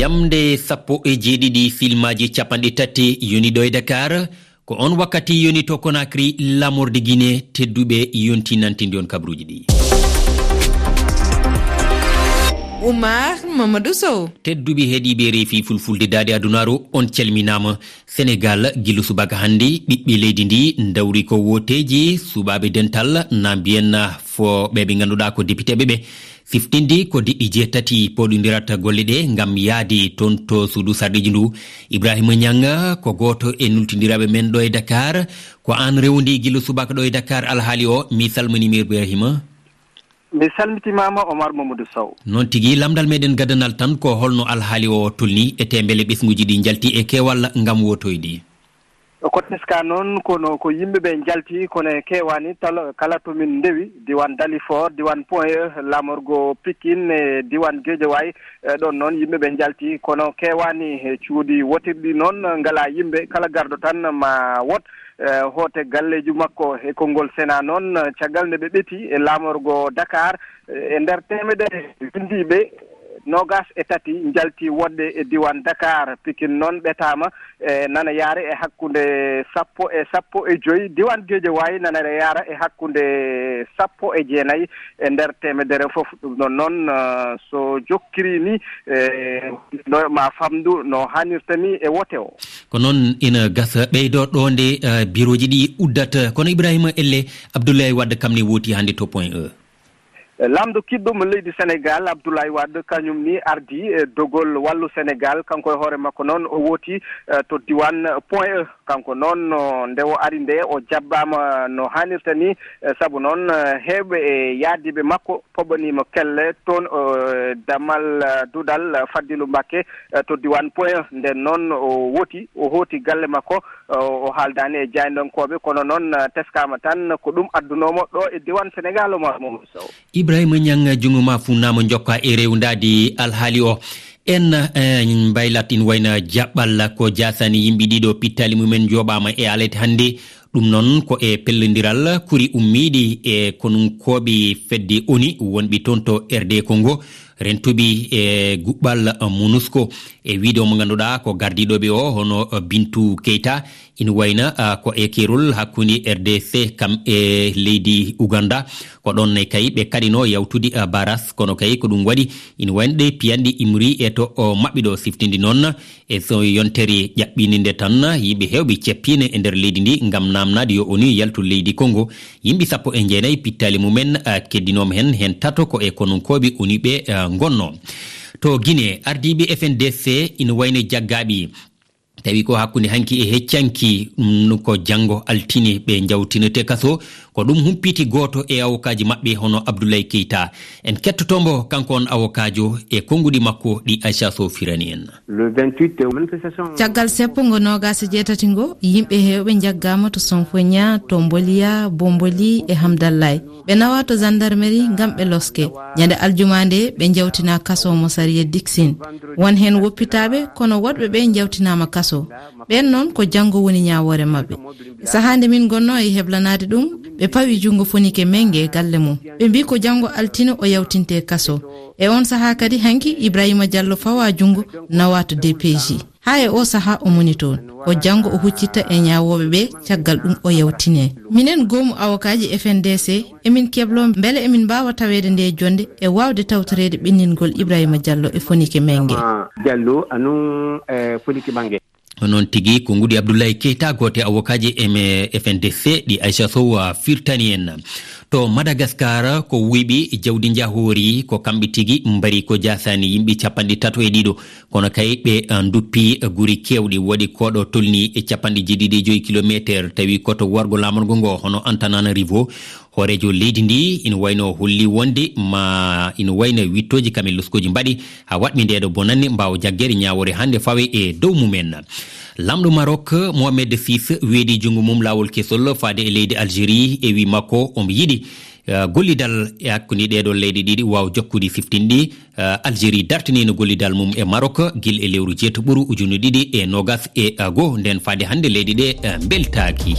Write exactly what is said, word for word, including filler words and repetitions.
Jamde sappo e jeeɗiɗi, filmaaji capanɗe tati yoni ɗo e Dakar. Ko on wakkati yoni to Conakry, lamorde Guinée. Tedduɓe, yonti nantindi on kabruuji ɗi. Oumar Mamadou Sow. Tedduɓe heɗiiɓe reefi fulfulde daade adunaaru, on calminaama. Senegal, gila subaka hannde, ɓiɓɓe leydi ndi ndawri ko wooteeji, suɓaaɓe dental, na mbiyen fo ɓe ɓe ngannduɗaa ko depiteeɓe ɓe. Siftindi ko diɗɗi jeetati pooɗondirata golle ɗe ngam yahde toon to suudu sarɗiiji ndu. Ibrahima Niang ko gooto e nultindiraaɓe men ɗo e Dakar. Ko aan rewndi gila subaka ɗo e Dakar alhaali o. Mi salminiima Ibrahima. Mi salmitimaama Omar Mamadou Sow. Noon tigi, lamndal meɗen gadanal tan ko holno alhaali o tolni e teembele ɓesnguuji ɗi njalti e keewal ngam wootoyde? Ko teska noon, kono ko yimɓe ɓe njalti, kono e keewaani talo-, kala to min ndewi, diiwaan Dalifort, diiwaan Point E, laamorgo Pikine, e diiwaan Guédiawaye, e ɗoon noon yimɓe ɓe njalti, kono keewaani. E cuuɗi wotirɗi noon ngalaa yimɓe, kala garɗo tan ma wot, e hoote galleeji makko. E konngol Sénat noon, caggal nde ɓe ɓeti e laamorgo Dakar, e nder teemedere winndiiɓe, noogaas e tati njalti woɗɓe e diiwaan Dakar. Pikine noon ɓetaama, e nana yaare e hakkunde sappo e sappo e joy. Diiwaan Guédiawaye nana yaara e hakkunde sappo e jeenayi e nder teemedere fof. Ɗum noon noon, eh, so jokkiri ni, eh, no ma famdu no hanirta ni e wote o. Ko noon ina gasa ɓeydo ɗo nde, eh, birooji ɗi uddata. Kono Ibrahima Elle, Abdoulaye Wade kam ne wooti hannde to Point E. Laamɗo kiɗɗo mo leydi Senegal, Abdoulaye Wade, kañum ni ardi e dogol Wallu Senegal. Kanko e hoore makko noon o wooti, eh, to diiwaan Point E. Kanko noon, no, nde o ari nde, o jabbaama no haanirta ni, eh, sabu noon, eh, heewɓe e yaadiiɓe makko poɓɓaniima kelle toon, eh, damal, eh, duɗal, eh, Fadilou Mbacké, eh, to diiwaan Point E. Nden noon o wooti, o hooti galle makko, o, o haaldaani e jaayndankooɓe, kono noon, eh, teskaama tan ko ɗum addunoo mo ɗo e diiwaan Senegal, Omar Mamadou Sow. Ibrahima Niang, junngo ma funnaama, njokka e rewndaade alhaali o. En, eh, mbaylat ina wayna jaɓɓal ko jaasaani yimɓe ɗiɗo pittaali mumen njooɓaama e alete hannde. Ɗum noon ko e pellondiral kuri ummiiɗi e konunkooɓe fedde ONU wonɓe toon to R D Congo. Rentuɓe e guɓɓal MONUSCO, e wiide mo ngannduɗaa ko gardiiɗo ɓe o, hono Bintou Keita, ina wayna, ah, ko e keerol hakkunde R D C kam e leydi Ouganda. Ko ɗoon ne kay ɓe kaɗino yawtude, ah, baras, kono kay ko ɗum waɗi ina wayna ɗe piyanɗe imri e to o maɓɓe ɗo siftinde noon. E so yontere ƴaɓɓiinde nde tan, yimɓe heewɓe ceppiino e nder leydi ndi ngam naamnaade yo ONU yaltu leydi Congo. Yimɓe sappo e jeenayi pittaali mumen, ah, keddinooma heen, heen tato ko e konunkooɓe ONU ɓe, ah, ngonnoo. To Guinée, ardiiɓe F N D C ina wayno jaggaaɓe. Tawi ko hakkunde hanki e heccanki, ɗum ko janngo altine ɓe njawtinete kaso. Ko ɗum humpiti gooto e awokaaji maɓɓe, hono Abdoulaye Keita. En kettoto mbo, kanko on awokaajo, e konnguɗi makko ɗi Aisha Sow firani en. Le vingt-huit, manifestation. Caggal seppo ngo noogaas e jeetati ngo, yimɓe heewɓe njaggaama to Sonfonia, to Mbolia, Bomboli e Hamdallaye. Ɓe nawa to gendarmerie ngam ɓe loske. Ñande aljuma nde, ɓe njawtina kaso mo sariya Dixin. Won heen woppitaaɓe, kono woɗɓe ɓe njawtinaama kaso. Ɓeen noon ko janngo woni ñaawoore maɓɓe. Sahaa nde min ngonnoo e heblanaade ɗum, ɓe pawi junngo Fonike Menge galle mum. Ɓe mbii ko janngo altine o yawtinte kaso. E oon sahaa kadi hanki Ibrahima Diallo fawa junngo nawa to D P J. Haa e oo sahaa o moni toon. Ko janngo o huccitta e ñaawooɓe ɓe, caggal ɗum o yawtine. Minen goomu awokaaji F N D C, emin kebloo mbele emin mbaawa taweede nde jonnde e waawde tawtoreede ɓenningol Ibrahima Diallo e Fonike Menge. Diallo, anu, eh, Fonike Menge. Ko noon tigi, ko nguɗi Abdoulaye Keita, gooto e awokaaji M-, F N D C ɗi Aisha Sow, ah, firtani en. To Madagascar, ko wuyɓe jawdi njahoori, ko kamɓe tigi mbari ko jaasaani yimɓe capanɗe tato e ɗiɗo. Kono kay ɓe, ah, nduppi guri keewɗi, waɗi koɗo tolni e capanɗe jeeɗiɗi e joy kilomeeter, tawi ko to worgo laamorgo ngo, hono Antananarivo. Hooreejo leydi ndi ina wayno holli wonde ma ina wayno wittooji kam e loskooji mbaɗi haa waɗmi ndeeɗo bonannde mbaawa jaggere ñaawoore hannde fawe e dow mumen. Laamɗo Maroc, Mohamed six, weedi junngo mum laawol kesol faade e leydi Algérie e wi makko omo yiɗi, eh, gollidal e hakkunde ɗeeɗo leyɗe ɗiɗi waawa jokkude siftinɗi. Eh, Algérie dartiniino gollidal mum e Maroc gila e lewru jeetaɓuru ujunere ɗiɗi e noogas e, eh, goo. Nden faade hannde leyɗe ɗe, eh, mbeltaaki.